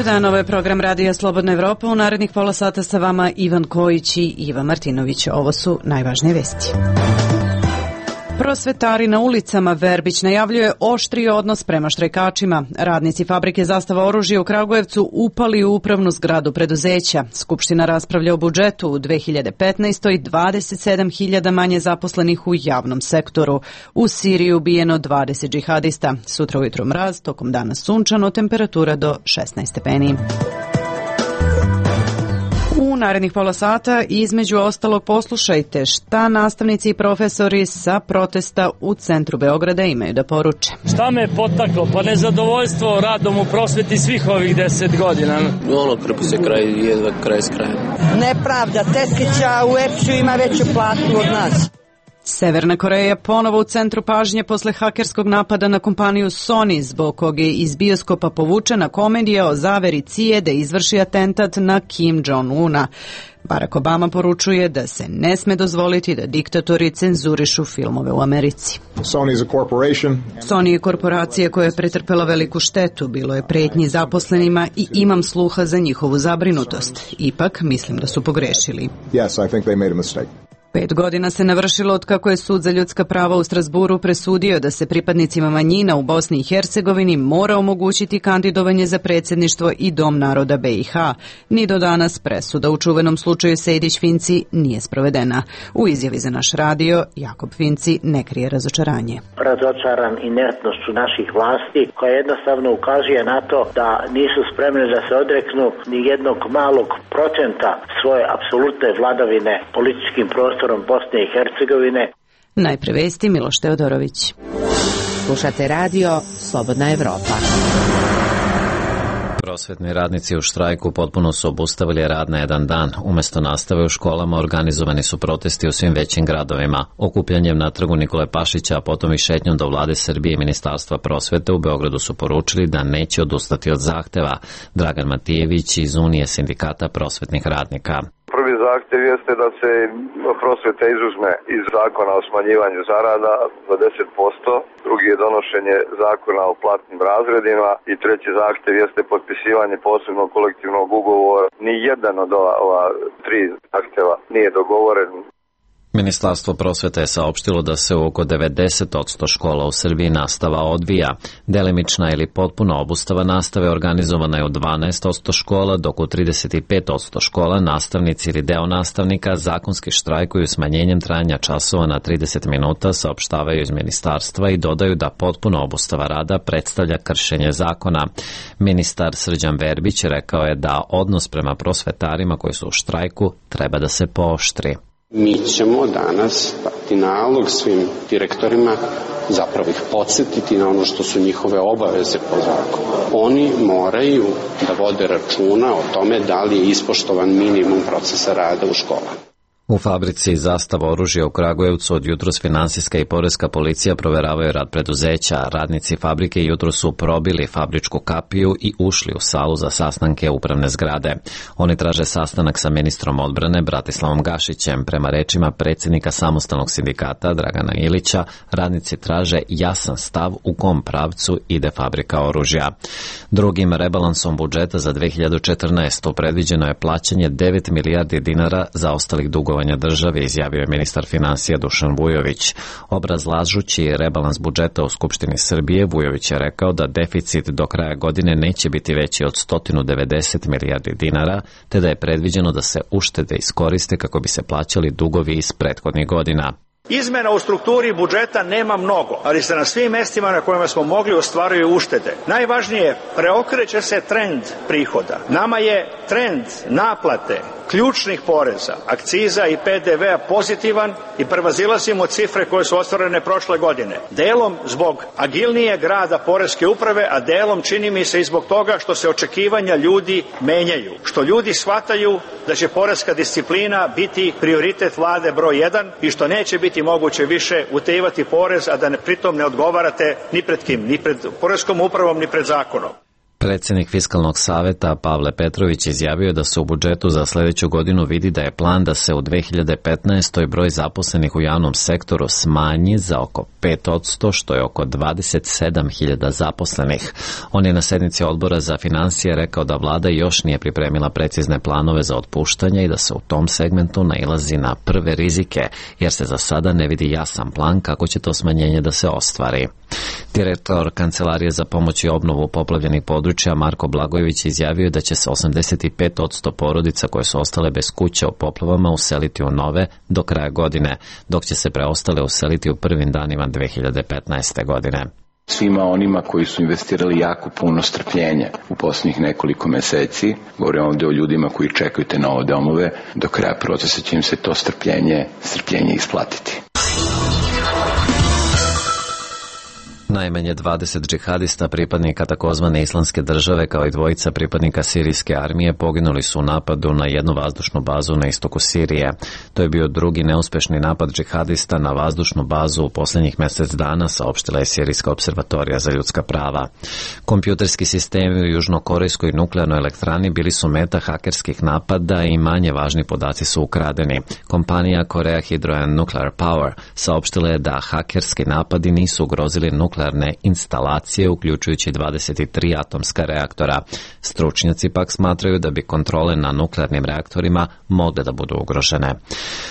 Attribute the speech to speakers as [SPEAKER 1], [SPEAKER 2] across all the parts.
[SPEAKER 1] Dobar dan, ovo je program Radija Slobodna Evropa. U narednih pola sata sa vama Ivan Kojić i Iva Martinović. Ovo su najvažnije vesti. Prosvetari na ulicama. Verbić najavljuje oštri odnos prema štrajkačima. Radnici fabrike Zastava oružja u Kragujevcu upali u upravnu zgradu preduzeća. Skupština raspravlja o budžetu u 2015. 27.000 manje zaposlenih u javnom sektoru. U Siriji ubijeno 20 džihadista. Sutra ujutro mraz, tokom dana sunčano, temperatura do 16 stepeni. U narednih pola sata između ostalog poslušajte šta nastavnici i profesori sa protesta u centru Beograda imaju da poruče.
[SPEAKER 2] Šta me je potaklo? Pa nezadovoljstvo radom u prosveti svih ovih 10 godina.
[SPEAKER 3] Krpi se jedva kraj s krajem.
[SPEAKER 4] Nepravda, tetkića u EPS-u ima veću platu od nas.
[SPEAKER 1] Severna Koreja ponovo u centru pažnje posle hakerskog napada na kompaniju Sony, zbog kog je iz bioskopa povučena komedija o zaveri CIA da izvrši atentat na Kim Jong-una. Barack Obama poručuje da se ne sme dozvoliti da diktatori cenzurišu filmove u Americi. Sony je korporacija koja je pretrpela veliku štetu, bilo je pretnji zaposlenima i imam sluha za njihovu zabrinutost. Ipak, mislim da su pogrešili.
[SPEAKER 5] Yes, I think they made a mistake.
[SPEAKER 1] 5 godina se navršilo od kako je Sud za ljudska prava u Strasburu presudio da se pripadnicima manjina u Bosni i Hercegovini mora omogućiti kandidovanje za predsjedništvo i Dom naroda BiH. Ni do danas presuda u čuvenom slučaju Sejdić-Finci nije sprovedena. U izjavi za naš radio, Jakob Finci ne krije razočaranje.
[SPEAKER 6] Razočaran inertnošću naših vlasti koja jednostavno ukazuje na to da nisu spremne da se odreknu ni jednog malog procenta svoje apsolutne vladavine političkim prostorom Bosne i Hercegovine.
[SPEAKER 1] Najpre vesti, Miloš Teodorović.
[SPEAKER 7] Slušate radio Slobodna Evropa.
[SPEAKER 8] Prosvetni radnici u štrajku potpuno su obustavili rad na jedan dan. Umesto nastave u školama organizovani su protesti u svim većim gradovima. Okupljanjem na trgu Nikole Pašića, a potom i šetnjom do Vlade Srbije i Ministarstva prosvete u Beogradu su poručili da neće odustati od zahteva. Dragan Matijević iz Unije sindikata prosvetnih radnika.
[SPEAKER 9] Prvi zahtjev jeste da se prosveta izuzme iz zakona o smanjivanju zarada za 10%, drugi je donošenje zakona o platnim razredima i treći zahtjev jeste potpisivanje posebnog kolektivnog ugovora. Ni jedan od ova tri zahtjeva nije dogovoren.
[SPEAKER 8] Ministarstvo prosvete je saopštilo da se u oko 90% škola u Srbiji nastava odvija. Delimična ili potpuna obustava nastave organizovana je u 12% škola, dok u 35% škola nastavnici ili deo nastavnika zakonski štrajkuju smanjenjem trajanja časova na 30 minuta, saopštavaju iz ministarstva i dodaju da potpuna obustava rada predstavlja kršenje zakona. Ministar Srđan Verbić rekao je da odnos prema prosvetarima koji su u štrajku treba da se pooštri.
[SPEAKER 10] Mi ćemo danas dati nalog svim direktorima, zapravo ih podsjetiti na ono što su njihove obaveze po zakonu. Oni moraju da vode računa o tome da li je ispoštovan minimum procesa rada u školama.
[SPEAKER 8] U fabrici Zastava oružja u Kragujevcu od jutros finansijska i poreska policija proveravaju rad preduzeća. Radnici fabrike jutros su probili fabričku kapiju i ušli u salu za sastanke upravne zgrade. Oni traže sastanak sa ministrom odbrane Bratislavom Gašićem. Prema rečima predsjednika samostalnog sindikata Dragana Ilića, radnici traže jasan stav u kom pravcu ide fabrika oružja. Drugim rebalansom budžeta za 2014. predviđeno je plaćanje 9 milijardi dinara za ostalih dugova države, izjavio je ministar finansija Dušan Vujović. Obrazlažući rebalans budžeta u Skupštini Srbije, Vujović je rekao da deficit do kraja godine neće biti veći od 190 milijardi dinara, te da je predviđeno da se uštede iskoriste kako bi se plaćali dugovi iz prethodnih godina.
[SPEAKER 11] Izmena u strukturi budžeta nema mnogo, ali se na svim mestima na kojima smo mogli ostvaruju uštede. Najvažnije, preokreće se trend prihoda. Nama je trend naplate ključnih poreza, akciza i PDV-a pozitivan i prevazilazimo cifre koje su ostvarene prošle godine. Delom zbog agilnijeg rada poreske uprave, a delom čini mi se i zbog toga što se očekivanja ljudi menjaju. Što ljudi shvataju da će poreska disciplina biti prioritet vlade broj 1 i što neće biti moguće više utajivati porez, a da pritom ne odgovarate ni pred kim, ni pred poreskom upravom, ni pred zakonom.
[SPEAKER 8] Predsjednik Fiskalnog saveta Pavle Petrović izjavio da se u budžetu za sljedeću godinu vidi da je plan da se u 2015. broj zaposlenih u javnom sektoru smanji za oko 5%, što je oko 27.000 zaposlenih. On je na sednici odbora za financije rekao da vlada još nije pripremila precizne planove za otpuštanje i da se u tom segmentu nailazi na prve rizike, jer se za sada ne vidi jasan plan kako će to smanjenje da se ostvari. Direktor Kancelarije za pomoć i obnovu poplavljenih područja Marko Blagojević izjavio da će se 85% porodica koje su ostale bez kuća u poplavama useliti u nove do kraja godine, dok će se preostale useliti u prvim danima 2015. godine.
[SPEAKER 5] Svima onima koji su investirali jako puno strpljenja u posljednjih nekoliko meseci, govorim ovdje o ljudima koji čekaju te nove domove, do kraja procesa će im se to strpljenje isplatiti.
[SPEAKER 8] Najmanje 20 džihadista pripadnika takozvane Islamske države kao i dvojica pripadnika sirijske armije poginuli su u napadu na jednu vazdušnu bazu na istoku Sirije. To je bio drugi neuspešni napad džihadista na vazdušnu bazu u posljednjih mjesec dana, saopštila je Sirijska observatorija za ljudska prava. Kompjuterski sistemi u južnokorejskoj nuklearnoj elektrani bili su meta hakerskih napada i manje važni podaci su ukradeni. Kompanija Korea Hydro and Nuclear Power saopštila je da hakerski napadi nisu ugrozili nuklearne instalacije, uključujući 23 atomska reaktora. Stručnjaci pak smatraju da bi kontrole na nuklearnim reaktorima mogle da budu ugrožene.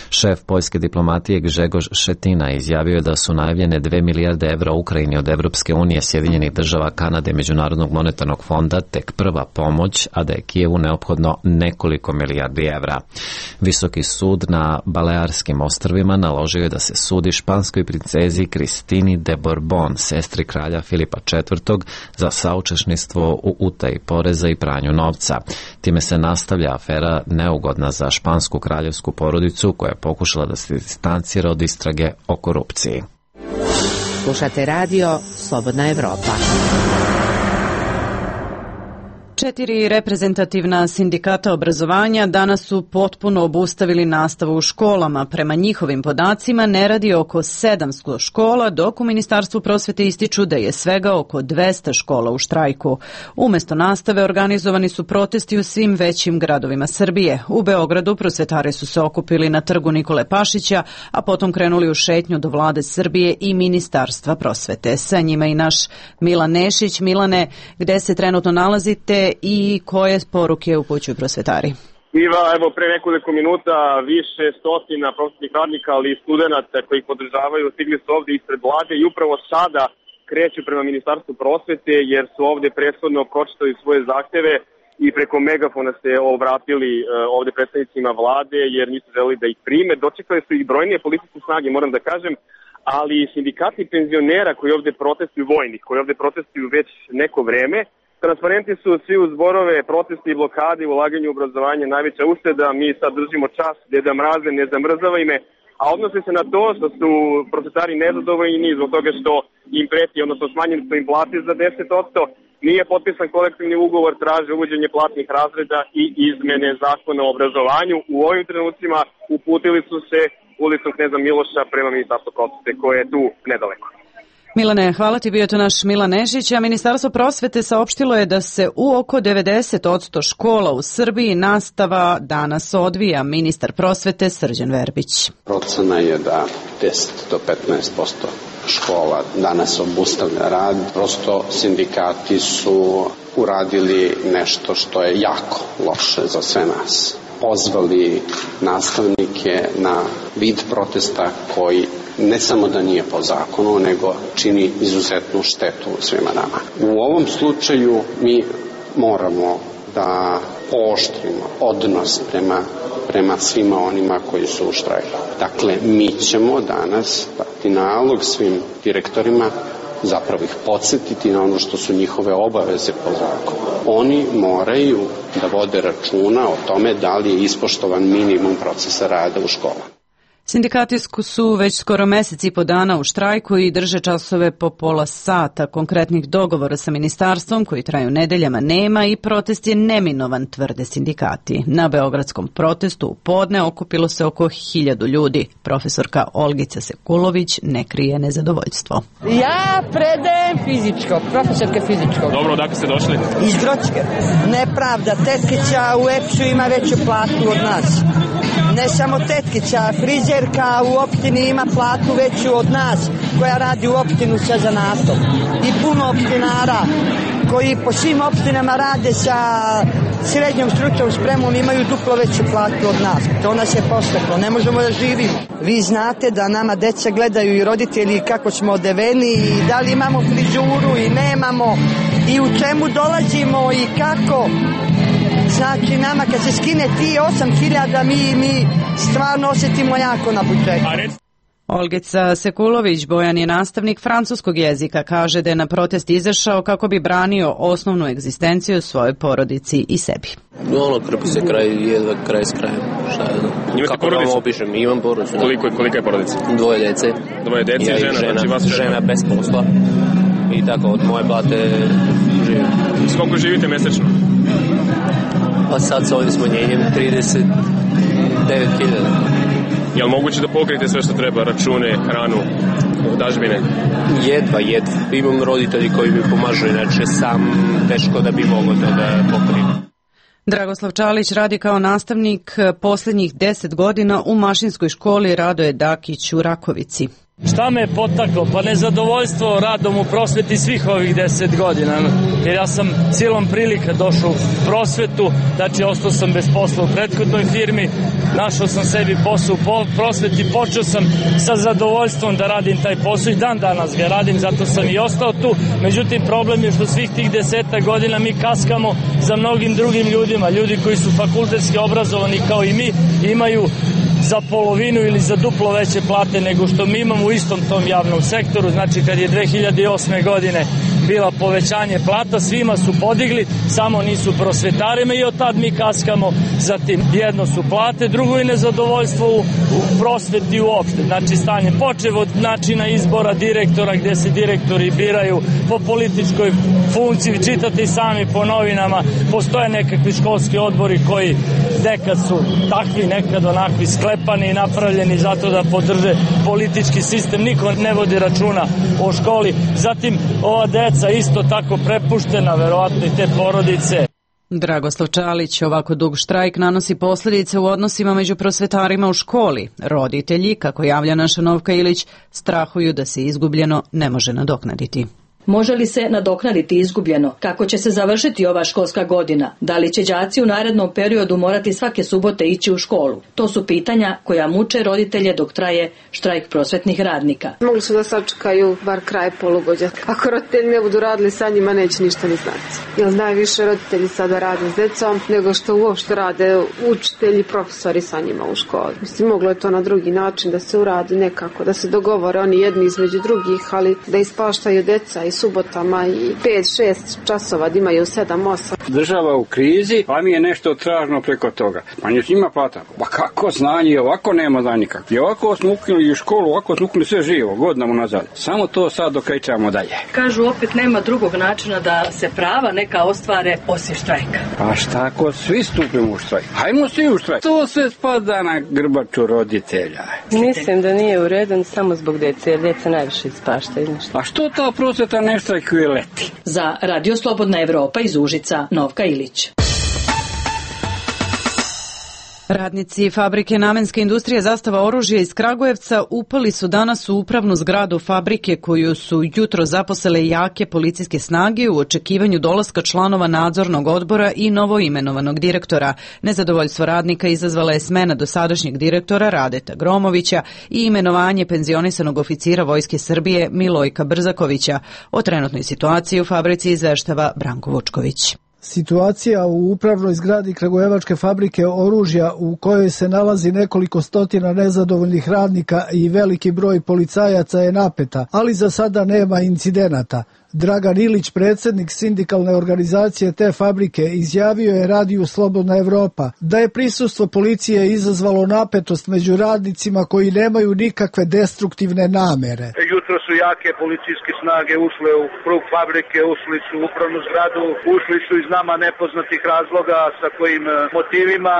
[SPEAKER 8] Šef poljske diplomatije Grzegorz Schetina izjavio da su najavljene 2 milijarde evra Ukrajini od Evropske unije, Sjedinjenih država, Kanade i Međunarodnog monetarnog fonda tek prva pomoć, a da je Kijevu neophodno nekoliko milijardi evra. Visoki sud na Balearskim ostrvima naložio je da se sudi španskoj princezi Kristini de Borbon, sestri kralja Filipa IV, za saučesništvo u utaji poreza i pranju novca. Time se nastavlja afera neugodna za špansku kraljevsku porodicu koja je pokušala da se distancira od istrage o korupciji.
[SPEAKER 7] Slušate radio Slobodna Evropa.
[SPEAKER 1] 4 reprezentativna sindikata obrazovanja danas su potpuno obustavili nastavu u školama. Prema njihovim podacima ne radi oko 700 škola, dok u Ministarstvu prosvete ističu da je svega oko 200 škola u štrajku. Umesto nastave organizovani su protesti u svim većim gradovima Srbije. U Beogradu prosvetari su se okupili na trgu Nikole Pašića, a potom krenuli u šetnju do vlade Srbije i Ministarstva prosvete. Sa njima i naš Milan Nešić. Milane, gde se trenutno nalazite i koje poruke upućuju prosvetari?
[SPEAKER 12] Iva, evo pre nekoliko minuta više stotina prosvetnih radnika, ali i studenta koji ih podržavaju stigli su ovdje ispred vlade i upravo sada kreću prema Ministarstvu prosvete jer su ovdje prethodno pročitali svoje zahteve i preko megafona se obratili ovdje predstavnicima vlade jer nisu želeli da ih prime. Dočekali su ih brojnije policijske snage, moram da kažem, ali i sindikati penzionera koji ovdje protestuju, vojnih koji ovdje protestuju već neko vreme. Transparenti su svi uz zborove, protesti i blokade u ulaganju u obrazovanje najveća ušteda. Mi sad držimo čas, Deda Mraze, ne zamrzavaj me, a odnosi se na to što su prosvetari nezadovoljni zbog toga što im preti, odnosno smanjeni su im plate za 10%, nije potpisan kolektivni ugovor, traže uvođenje platnih razreda i izmene zakona o obrazovanju. U ovim trenucima uputili su se ulicom Kneza Miloša prema Ministarstvu prosvete koje je tu nedaleko.
[SPEAKER 1] Milane, hvala ti, bio to naš Milan Nešić, a Ministarstvo prosvete saopštilo je da se u oko 90% škola u Srbiji nastava danas odvija. Ministar prosvete Srđan Verbić.
[SPEAKER 10] Procena je da 10 do 15% škola danas obustavlja rad. Prosto sindikati su uradili nešto što je jako loše za sve nas. Pozvali nastavnike na vid protesta koji ne samo da nije po zakonu, nego čini izuzetnu štetu svima nama. U ovom slučaju mi moramo da pooštrimo odnos prema svima onima koji su u štrajku. Dakle, mi ćemo danas dati nalog svim direktorima, zapravo ih podsjetiti na ono što su njihove obaveze po zakonu. Oni moraju da vode računa o tome da li je ispoštovan minimum procesa rada u školama.
[SPEAKER 1] Sindikati su već skoro mesec i po dana u štrajku i drže časove po pola sata. Konkretnih dogovora sa ministarstvom koji traju nedeljama nema i protest je neminovan, tvrde sindikati. Na beogradskom protestu u podne okupilo se oko 1000 ljudi. Profesorka Olgica Sekulović ne krije nezadovoljstvo.
[SPEAKER 4] Ja predajem fizičko, profesorka fizičkog.
[SPEAKER 12] Dobro, odakle ste došli?
[SPEAKER 4] Iz Grocke. Nepravda, tetkića u EPS-u ima veću platu od nas. Ne samo tetkića, frizerka u opštini ima platu veću od nas koja radi u opštinu sa zanatom. I puno opštinara koji po svim opštinama rade sa srednjom stručnom spremom imaju duplo veću platu od nas. To nas je posteklo, ne možemo da živimo. Vi znate da nama deca gledaju i roditelji kako smo odeveni i da li imamo frizuru i nemamo i u čemu dolazimo i kako. Znači nama kad se skine ti 8.000 mi stvarno osjetimo jako na budžetu.
[SPEAKER 1] Olgica Sekulović, Bojan je nastavnik francuskog jezika, kaže da je na protest izašao kako bi branio osnovnu egzistenciju svojoj porodici i sebi.
[SPEAKER 3] Krpi se jedva kraj s krajem.
[SPEAKER 12] Imate porodicu?
[SPEAKER 3] Opišem, imam porodicu.
[SPEAKER 12] Kolika je porodica?
[SPEAKER 3] 2 djece.
[SPEAKER 12] 2 djece i žena, znači vas
[SPEAKER 3] žena bez posla. I tako, od moje plate živim.
[SPEAKER 12] S koliko živite mesečno?
[SPEAKER 3] Pa sad sa ovim smanjenjem 39.000.
[SPEAKER 12] Je li moguće da pokrijete sve što treba, račune, hranu, dažbine?
[SPEAKER 3] Jedva. Imam roditelji koji mi pomažu, inače sam teško da bi mogao to da pokrijem.
[SPEAKER 1] Dragoslav Čalić radi kao nastavnik posljednjih 10 godina u mašinskoj školi Radoje Dakić u Rakovici.
[SPEAKER 2] Šta me je potaklo? Pa nezadovoljstvo radom u prosveti svih ovih 10 godina. Jer ja sam silom prilika došao u prosvetu, znači ostao sam bez posla u prethodnoj firmi, našao sam sebi posao u prosveti, počeo sam sa zadovoljstvom da radim taj posao i dan danas ga radim, zato sam i ostao tu. Međutim, problem je što svih tih 10 godina mi kaskamo za mnogim drugim ljudima. Ljudi koji su fakultetski obrazovani kao i mi imaju za polovinu ili za duplo veće plate nego što mi imamo u istom tom javnom sektoru. Znači kad je 2008. godine bila povećanje plata, svima su podigli, samo nisu prosvetarima i od tad mi kaskamo. Zatim jedno su plate, drugo je nezadovoljstvo u prosveti uopšte. Znači stanje počev od načina izbora direktora gde se direktori biraju po političkoj funkciji, čitate i sami po novinama, postoje nekakvi školski odbori koji nekad su takvi, nekad onakvi sklepani i napravljeni zato da podrže politički sistem, niko ne vodi računa o školi. Zatim ova deca isto tako prepuštena, verovatno i te porodice.
[SPEAKER 1] Dragoslav Čalić, ovako dug štrajk nanosi posljedice u odnosima među prosvetarima u školi. Roditelji, kako javlja naša Novka Ilić, strahuju da se izgubljeno ne može nadoknaditi.
[SPEAKER 13] Može li se nadoknaditi izgubljeno? Kako će se završiti ova školska godina? Da li će đaci u narednom periodu morati svake subote ići u školu? To su pitanja koja muče roditelje dok traje štrajk prosvetnih radnika.
[SPEAKER 14] Mogli su da sačekaju bar kraj polugođa. Ako roditelji ne budu radili sa njima, neće ništa ni znati. Jer najviše roditelji sada rade s decom nego što uopšte rade učitelji, profesori sa njima u školi. Mislim, moglo je to na drugi način da se uradi nekako, da se dogovore oni jedni između drugih, ali da ispaštaju deca i subotama i 5-6 časova da imaju 7-8.
[SPEAKER 15] Država u krizi, a mi je nešto tražno preko toga. Pa njima plata. Pa kako znanje, ovako nema znanje nikak. I ovako smo ukinuli u školu, ovako smo ukinuli sve živo, godinama nazad. Samo to sad dokrećamo dalje.
[SPEAKER 13] Kažu opet nema drugog načina da se prava neka ostvare osim štrajka.
[SPEAKER 15] Pa šta ako svi stupimo u štrajk? Hajmo svi u štrajk. To se spada na grbaču roditelja.
[SPEAKER 16] Mislim da nije u redu samo zbog dece, jer djeca najviše ispaštaju.
[SPEAKER 15] A što ta prosveta ne štrajkuje leti?
[SPEAKER 13] Za Radio Slobodna Evropa iz Užica, Novka Ilić.
[SPEAKER 1] Radnici fabrike Namenske industrije Zastava oružja iz Kragujevca upali su danas u upravnu zgradu fabrike koju su jutro zaposele jake policijske snage u očekivanju dolaska članova nadzornog odbora i novoimenovanog direktora. Nezadovoljstvo radnika izazvala je smena dosadašnjeg direktora Radeta Gromovića i imenovanje penzionisanog oficira Vojske Srbije Milojka Brzakovića. O trenutnoj situaciji u fabrici izveštava Branko Vučković.
[SPEAKER 17] Situacija u upravnoj zgradi Kragujevačke fabrike oružja u kojoj se nalazi nekoliko stotina nezadovoljnih radnika i veliki broj policajaca je napeta, ali za sada nema incidenata. Dragan Ilić, predsjednik sindikalne organizacije te fabrike, izjavio je radiju Slobodna Evropa da je prisustvo policije izazvalo napetost među radnicima koji nemaju nikakve destruktivne namere.
[SPEAKER 18] Jutro su jake policijske snage ušle u krug fabrike, ušli su u upravnu zgradu, ušli su iz nama nepoznatih razloga sa kojim motivima.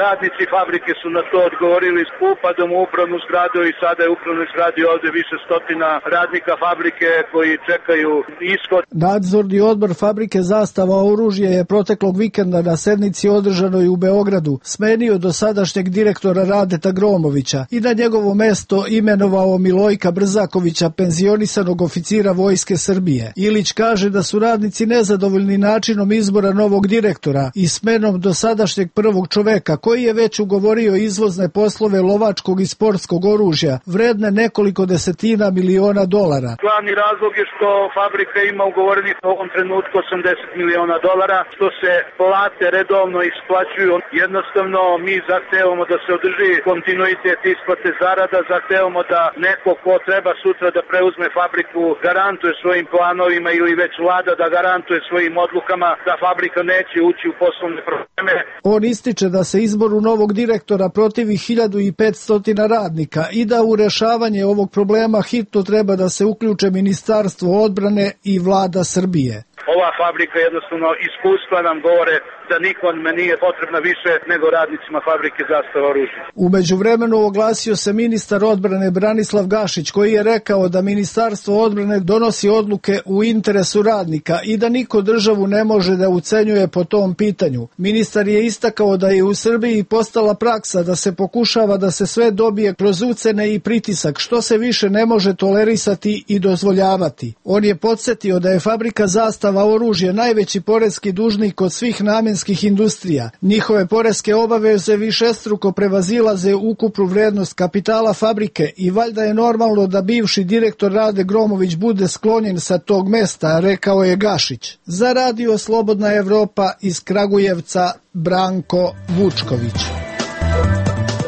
[SPEAKER 18] Radnici fabrike su na to odgovorili s upadom u upravnu zgradu i sada je u upravnoj zgradi ovde više stotina radnika fabrike koji čekaju ishod.
[SPEAKER 17] Nadzorni odbor fabrike Zastava oružje je proteklog vikenda na sednici održanoj u Beogradu smenio dosadašnjeg direktora Radeta Gromovića i na njegovo mesto imenovao Milojka Brzakovića, penzionisanog oficira Vojske Srbije. Ilić kaže da su radnici nezadovoljni načinom izbora novog direktora i smenom dosadašnjeg prvog čoveka koji je već ugovorio izvozne poslove lovačkog i sportskog oružja vredne nekoliko desetina miliona dolara.
[SPEAKER 18] Glavni razlog je što fabrika ima ugovorenih u ovom trenutku 80 miliona dolara, što se plate redovno isplaćuju. Jednostavno mi zahtevamo da se održi kontinuitet isplate zarada, zahtevamo da neko ko treba sutra da preuzme fabriku garantuje svojim planovima ili već vlada da garantuje svojim odlukama da fabrika neće ući u poslovne probleme.
[SPEAKER 17] On ističe da se izboru novog direktora protivi 1500 radnika i da u rešavanje ovog problema hitno treba da se uključe Ministarstvo odbrane i vlada Srbije.
[SPEAKER 18] Ova fabrika jednostavno iskustva nam govore da nikome nije potrebna više nego radnicima fabrike Zastava oružja.
[SPEAKER 17] U međuvremenu oglasio se ministar odbrane Branislav Gašić koji je rekao da Ministarstvo odbrane donosi odluke u interesu radnika i da niko državu ne može da ucenjuje po tom pitanju. Ministar je istakao da je u Srbiji postala praksa da se pokušava da se sve dobije kroz ucene i pritisak, što se više ne može tolerisati i dozvoljavati. On je podsjetio da je fabrika Zastava oružje najveći poreski dužnik od svih namenskih industrija. Njihove poreske obaveze višestruko prevazilaze ukupnu vrednost kapitala fabrike i valjda je normalno da bivši direktor Rade Gromović bude sklonjen sa tog mesta, rekao je Gašić. Za radio Slobodna Evropa iz Kragujevca, Branko Vučković.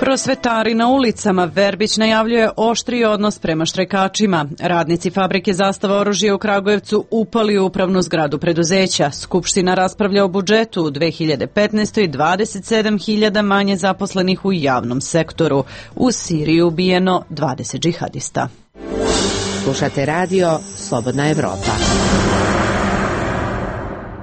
[SPEAKER 1] Prosvetari na ulicama. Verbić najavljuje oštriji odnos prema štrajkačima. Radnici fabrike Zastava oružja u Kragujevcu upali u upravnu zgradu preduzeća. Skupština raspravlja o budžetu u 2015. 27.000 manje zaposlenih u javnom sektoru. U Siriji ubijeno 20 džihadista.
[SPEAKER 7] Slušate radio Slobodna Evropa.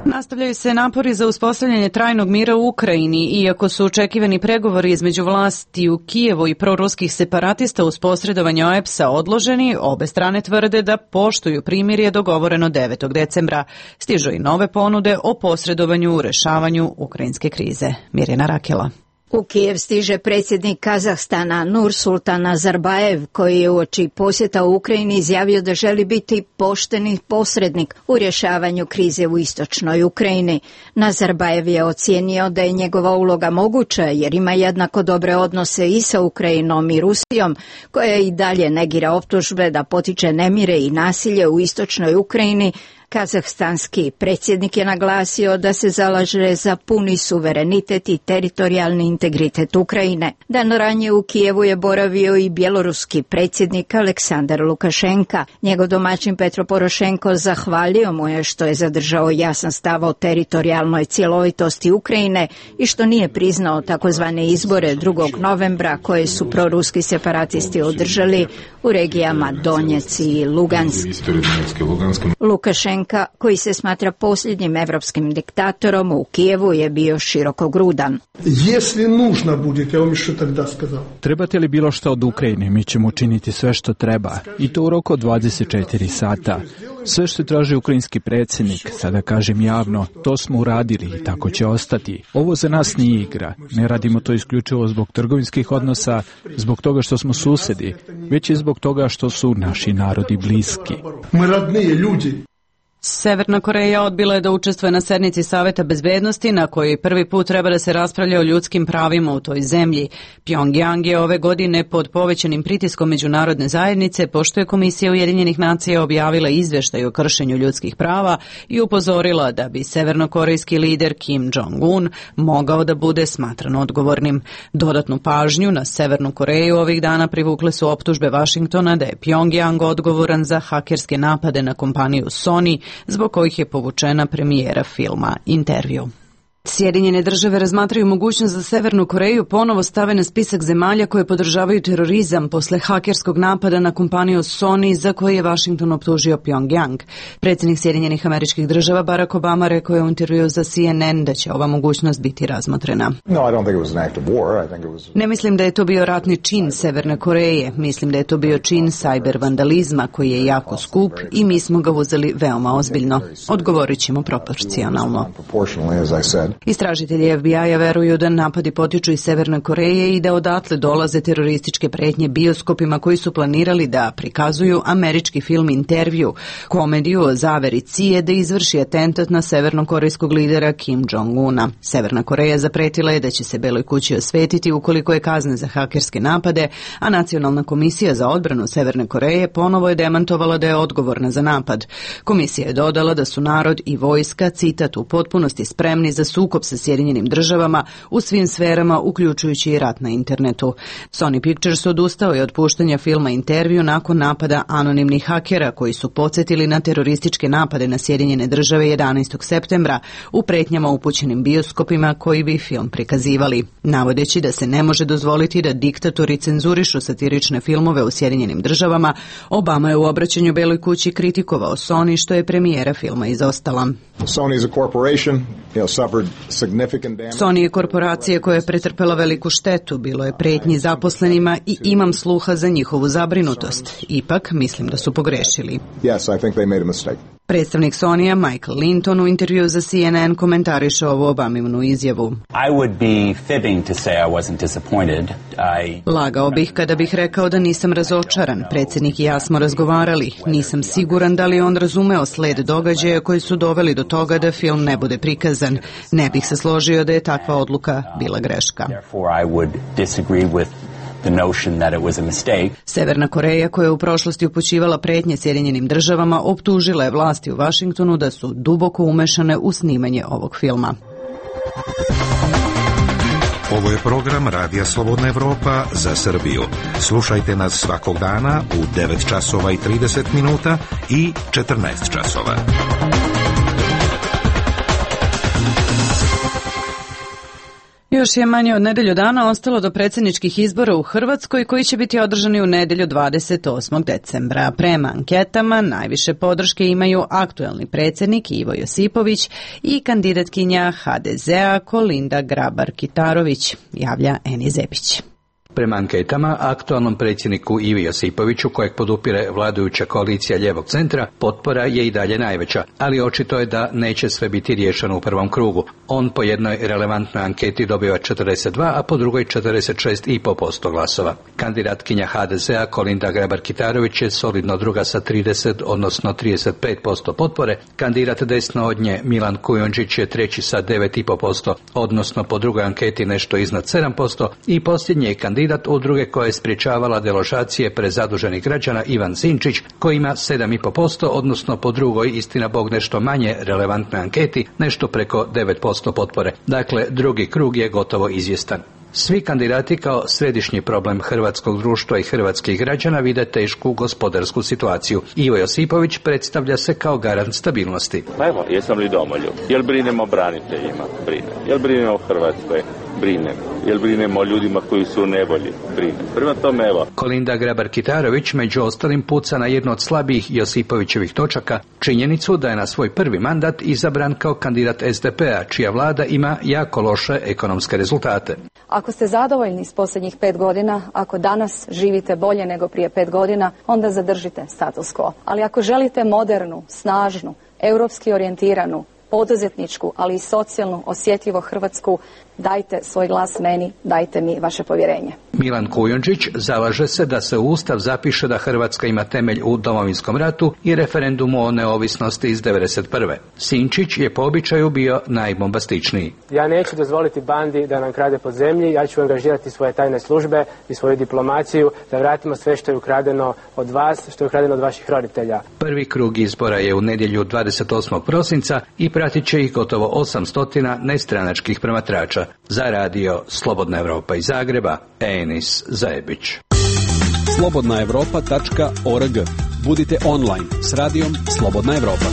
[SPEAKER 1] Nastavljaju se napori za uspostavljanje trajnog mira u Ukrajini, iako su očekivani pregovori između vlasti u Kijevu i proruskih separatista uz posredovanje OEBS-a odloženi, obe strane tvrde da poštuju primirje dogovoreno 9. decembra. Stižu i nove ponude o posredovanju u rešavanju ukrajinske krize. Mirjana Rakela.
[SPEAKER 19] U Kijev stiže predsjednik Kazahstana Nursultan Nazarbajev, koji je uoči posjeta u Ukrajini izjavio da želi biti pošteni posrednik u rješavanju krize u istočnoj Ukrajini. Nazarbajev je ocijenio da je njegova uloga moguća jer ima jednako dobre odnose i sa Ukrajinom i Rusijom, koja i dalje negira optužbe da potiče nemire i nasilje u istočnoj Ukrajini. Kazahstanski predsjednik je naglasio da se zalaže za puni suverenitet i teritorijalni integritet Ukrajine. Dan ranije u Kijevu je boravio i bjeloruski predsjednik Aleksandar Lukašenka. Njegov domaćin Petro Porošenko zahvalio mu je što je zadržao jasan stav o teritorijalnoj cjelovitosti Ukrajine i što nije priznao takozvane izbore 2. novembra koje su proruski separatisti održali u regijama Donjec i Lugansk. Lukašenka, koji se smatra posljednjim evropskim diktatorom, u Kijevu je bio širokogrudan.
[SPEAKER 20] Trebate li bilo što od Ukrajine, mi ćemo učiniti sve što treba, i to u roku od 24 sata. Sve što traži ukrajinski predsjednik, sada kažem javno, to smo uradili i tako će ostati. Ovo za nas nije igra. Ne radimo to isključivo zbog trgovinskih odnosa, zbog toga što smo susedi, već i zbog toga što su naši narodi bliski.
[SPEAKER 1] Severna Koreja odbila je da učestvuje na sednici Saveta bezbednosti na kojoj prvi put treba da se raspravlja o ljudskim pravima u toj zemlji. Pjongjang je ove godine pod povećanim pritiskom međunarodne zajednice pošto je Komisija Ujedinjenih nacija objavila izveštaj o kršenju ljudskih prava i upozorila da bi severnokorejski lider Kim Jong-un mogao da bude smatran odgovornim. Dodatnu pažnju na Severnu Koreju ovih dana privukle su optužbe Vašingtona da je Pjongjang odgovoran za hakerske napade na kompaniju Sony, zbog kojih je povučena premijera filma Intervju. Sjedinjene države razmatraju mogućnost da Severnu Koreju ponovo stave na spisak zemalja koje podržavaju terorizam posle hakerskog napada na kompaniju Sony za koje je Washington optužio Pjongjang. Predsjednik Sjedinjenih Američkih Država Barack Obama rekao je u intervju za CNN da će ova mogućnost biti razmotrena. Ne mislim da je to bio ratni čin Severne Koreje, mislim da je to bio čin sajber vandalizma koji je jako skup i mi smo ga uzeli veoma ozbiljno. Odgovorit ćemo proporcionalno. Istražitelji FBI-a veruju da napadi potiču iz Severne Koreje i da odatle dolaze terorističke pretnje bioskopima koji su planirali da prikazuju američki film Intervju, komediju o zaveri CIA da izvrši atentat na severnokorejskog lidera Kim Jong-una. Severna Koreja zapretila je da će se Beloj kući osvetiti ukoliko je kazne za hakerske napade, a Nacionalna komisija za odbranu Severne Koreje ponovo je demantovala da je odgovorna za napad. Komisija je dodala da su narod i vojska, citat, u potpunosti spremni za sukob sa Sjedinjenim državama u svim sferama, uključujući i rat na internetu. Sony Pictures odustao je od puštanja filma Intervju nakon napada anonimnih hakera koji su podsjetili na terorističke napade na Sjedinjene države 11. septembra u pretnjama upućenim bioskopima koji bi film prikazivali. Navodeći da se ne može dozvoliti da diktatori cenzurišu satirične filmove u Sjedinjenim državama, Obama je u obraćanju Beloj kući kritikovao Sony što je premijera filma izostala. Sony je korporacija koja je pretrpela veliku štetu, bilo je pretnji zaposlenima i imam sluha za njihovu zabrinutost. Ipak, mislim da su pogrešili. Predstavnik Sonija Michael Linton u intervju za CNN komentariše ovu Obaminu izjavu. Lagao bih kada bih rekao da nisam razočaran. Predsjednik i ja smo razgovarali. Nisam siguran da li on razumeo sled događaja koji su doveli do toga da film ne bude prikazan. Ne bih se složio da je takva odluka bila greška. Severna Koreja, koja je u prošlosti upućivala pretnje Sjedinjenim državama, optužila je vlasti u Vašingtonu da su duboko umešane u snimanje ovog filma.
[SPEAKER 21] Ovo je program Radija Slobodna Evropa za Srbiju. Slušajte nas svakog dana u 9 časova i 30 minuta i 14 časova.
[SPEAKER 1] Još je manje od nedelju dana ostalo do predsjedničkih izbora u Hrvatskoj koji će biti održani u nedjelju 28. decembra. Prema anketama najviše podrške imaju aktuelni predsjednik Ivo Josipović i kandidatkinja HDZ-a Kolinda Grabar-Kitarović, javlja Eni Zepić.
[SPEAKER 22] Prema anketama, aktualnom predsjedniku Ivi Josipoviću, kojeg podupire vladajuća koalicija lijevog centra, potpora je i dalje najveća, ali očito je da neće sve biti riješeno u prvom krugu. On po jednoj relevantnoj anketi dobiva 42, a po drugoj 46,5% glasova. Kandidatkinja HDZ-a Kolinda Grabar-Kitarović je solidno druga sa 30, odnosno 35% potpore. Kandidat desno od nje Milan Kujundžić je treći sa 9,5%, odnosno po drugoj anketi nešto iznad 7%, i posljednji je kandidat udruge koja je sprječavala deložacije prezaduženih građana Ivan Sinčić, koji ima 7,5%, odnosno po drugoj, istina bog nešto manje relevantnoj anketi, nešto preko 9% potpore. Dakle, drugi krug je gotovo izvjestan. Svi kandidati kao središnji problem hrvatskog društva i hrvatskih građana vide tešku gospodarsku situaciju. Ivo Josipović predstavlja se kao garant stabilnosti.
[SPEAKER 23] Evo, jesam li domoljub? Jel brinem o braniteljima? Brinem. Jel brinem o Hrvatskoj? Brinem. Jel brinem o ljudima koji su u nevolji? Brinem. Prema tome, evo.
[SPEAKER 22] Kolinda Grabar-Kitarović među ostalim puca na jednu od slabijih Josipovićevih točaka, činjenicu da je na svoj prvi mandat izabran kao kandidat SDP-a, čija vlada ima jako loše ekonomske rezultate.
[SPEAKER 24] Ako ste zadovoljni s posljednjih 5 godina, ako danas živite bolje nego prije 5 godina, onda zadržite status quo. Ali ako želite modernu, snažnu, europski orijentiranu, poduzetničku, ali i socijalnu osjetljivu Hrvatsku, dajte svoj glas meni, dajte mi vaše povjerenje.
[SPEAKER 22] Milan Kujundžić zalaže se da se u Ustav zapiše da Hrvatska ima temelj u Domovinskom ratu i referendumu o neovisnosti iz 1991. Sinčić je po običaju bio najbombastičniji.
[SPEAKER 5] Ja neću dozvoliti bandi da nam krade po zemlji, ja ću angažirati svoje tajne službe i svoju diplomaciju da vratimo sve što je ukradeno od vas, što je ukradeno od vaših roditelja.
[SPEAKER 22] Prvi krug izbora je u nedjelju 28. prosinca i pratit će ih gotovo 800 nestranačkih promatrača. Za radio Slobodna Evropa iz Zagreba, Enis Zajebić.
[SPEAKER 6] slobodnaevropa.org. Budite online s radijom Slobodna Evropa.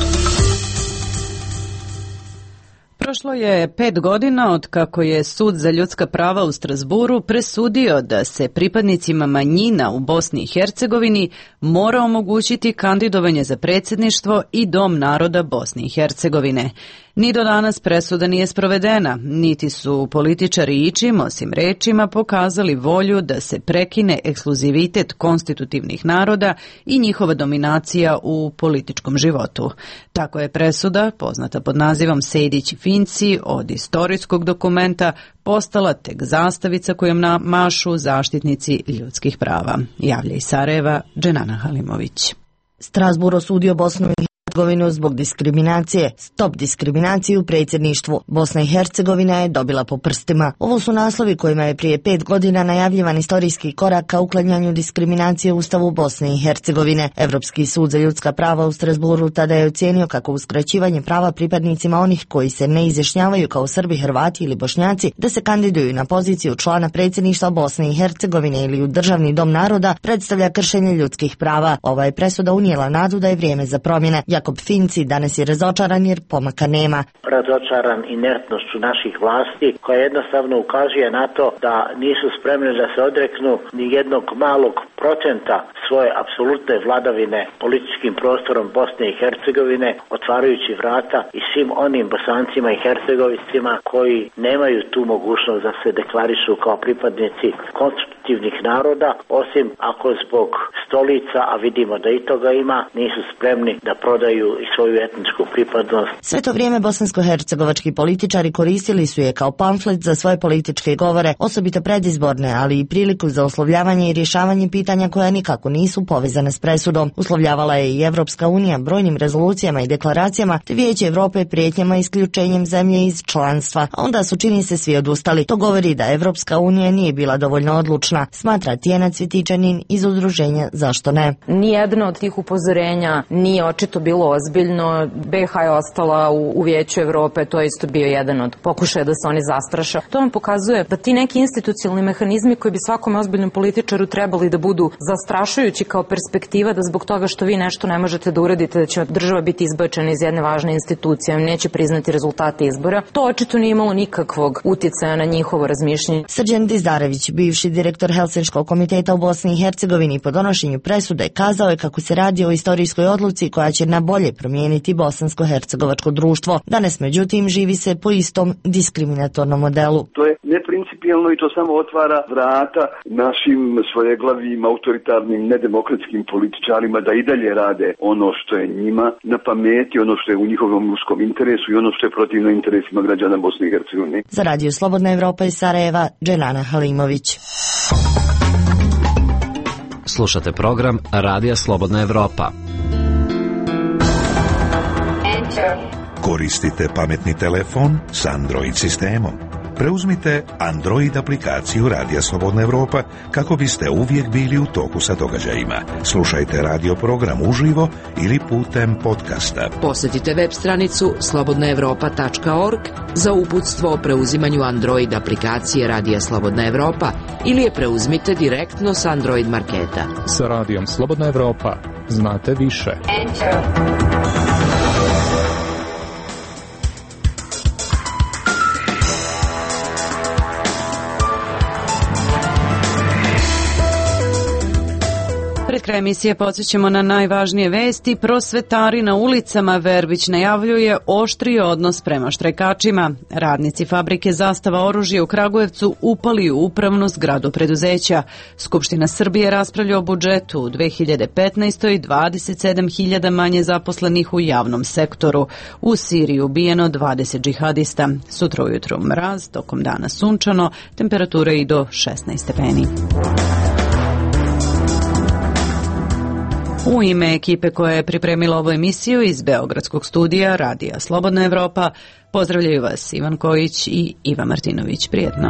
[SPEAKER 1] Prošlo je 5 godina od kako je Sud za ljudska prava u Strasburu presudio da se pripadnicima manjina u Bosni i Hercegovini mora omogućiti kandidovanje za predsjedništvo i Dom naroda Bosne i Hercegovine. Ni do danas presuda nije sprovedena, niti su političari ičim, osim rečima, pokazali volju da se prekine ekskluzivitet konstitutivnih naroda i njihova dominacija u političkom životu. Tako je presuda, poznata pod nazivom Sejdić i Finci, od istorijskog dokumenta postala tek zastavica kojom mašu zaštitnici ljudskih prava. Javlja iz Sarajeva, Dženana Halimović.
[SPEAKER 9] Strasbourg osudio Bosnu i Hercegovinu zbog diskriminacije. Stop diskriminaciji u predsjedništvu. Bosna i Hercegovina je dobila po prstima. Ovo su naslovi kojima je prije 5 godina najavljivan istorijski korak ka uklanjanju diskriminacije u Ustavu Bosne i Hercegovine. Evropski sud za ljudska prava u Strasbourgu tada je ocijenio kako uskraćivanje prava pripadnicima onih koji se ne izjašnjavaju kao Srbi, Hrvati ili Bošnjaci da se kandiduju na poziciju člana predsjedništva Bosne i Hercegovine ili u Državni dom naroda predstavlja kršenje ljudskih prava. Ova je presuda unijela nadu da je vrijeme za promjene. Jakob Finci danas je razočaran jer pomaka nema.
[SPEAKER 11] Razočaran inertnošću naših vlasti koja jednostavno ukazuje na to da nisu spremni da se odreknu ni jednog malog procenta svoje apsolutne vladavine političkim prostorom Bosne i Hercegovine, otvarajući vrata i svim onim Bosancima i Hercegovicima koji nemaju tu mogućnost da se deklarišu kao pripadnici konstitutivnih naroda, osim ako zbog stolica, a vidimo da i toga ima, nisu spremni da prodaju i svoju etničku pripadnost.
[SPEAKER 9] Sve to vrijeme bosansko-hercegovački političari koristili su je kao pamflet za svoje političke govore, osobito predizborne, ali i priliku za oslovljavanje i rješavanje pitanja koja nikako nisu povezane s presudom. Uslovljavala je i Evropska unija brojnim rezolucijama i deklaracijama, te Vijeće Evrope prijetnjama isključenjem zemlje iz članstva. A onda su, čini se, svi odustali. To govori da Evropska unija nije bila dovoljno odlučna, smatra Tijena Cvjetičanin iz udruženja Zašto ne?
[SPEAKER 25] Nijedno od tih upozorenja nije očito bilo ozbiljno. BiH je ostala u Vijeću Evrope, to je isto bio jedan od pokušaja da se oni zastraša. To vam pokazuje da ti neki institucionalni mehanizmi koji bi svakom ozbiljnom političaru trebali da budu zastrašujući kao perspektiva, da zbog toga što vi nešto ne možete da uradite, da će država biti izbačena iz jedne važne institucije, neće priznati rezultate izbora. To očito nije imalo nikakvog uticaja na njihovo razmišljanje.
[SPEAKER 9] Srđan Dizdarević, bivši direktor Helsinškog komiteta u Bosni i Hercegovini, po donošenju presude kazao je kako se radi o istorijskoj odluci koja će na bolje promijeniti bosansko-hercegovačko društvo. Danas, međutim, živi se po istom diskriminatornom modelu.
[SPEAKER 26] To je neprincipijelno i to samo otvara vrata našim svojeglavim, autoritarnim, nedemokratskim političarima da i dalje rade ono što je njima na pameti, ono što je u njihovom uskom interesu i ono što je protivno interesima građana Bosne i Hercegovine.
[SPEAKER 9] Za radio Slobodna Evropa iz Sarajeva, Dženana Halimović.
[SPEAKER 8] Slušate program Radija Slobodna Evropa.
[SPEAKER 21] Koristite pametni telefon s Android sistemom. Preuzmite Android aplikaciju Radija Slobodna Evropa kako biste uvijek bili u toku sa događajima. Slušajte radio program uživo ili putem podcasta.
[SPEAKER 7] Posjetite web stranicu slobodnaevropa.org za uputstvo o preuzimanju Android aplikacije Radija Slobodna Evropa ili je preuzmite direktno s Android marketa.
[SPEAKER 20] Sa Radijom Slobodna Evropa znate više.
[SPEAKER 1] kraj emisije podsjećamo na najvažnije vesti. Prosvetari na ulicama, Verbić najavljuje oštri odnos prema štrajkačima. Radnici fabrike Zastava oružja u Kragujevcu upali u upravnu zgradu preduzeća. Skupština Srbije raspravlja o budžetu. U 2015. 27.000 manje zaposlenih u javnom sektoru. U Siriji ubijeno 20 džihadista. Sutra ujutro mraz, tokom dana sunčano, temperature i do 16 stepeni. U ime ekipe koja je pripremila ovu emisiju iz Beogradskog studija Radija Slobodna Evropa, pozdravljaju vas Ivan Kojić i Iva Martinović. Prijetno.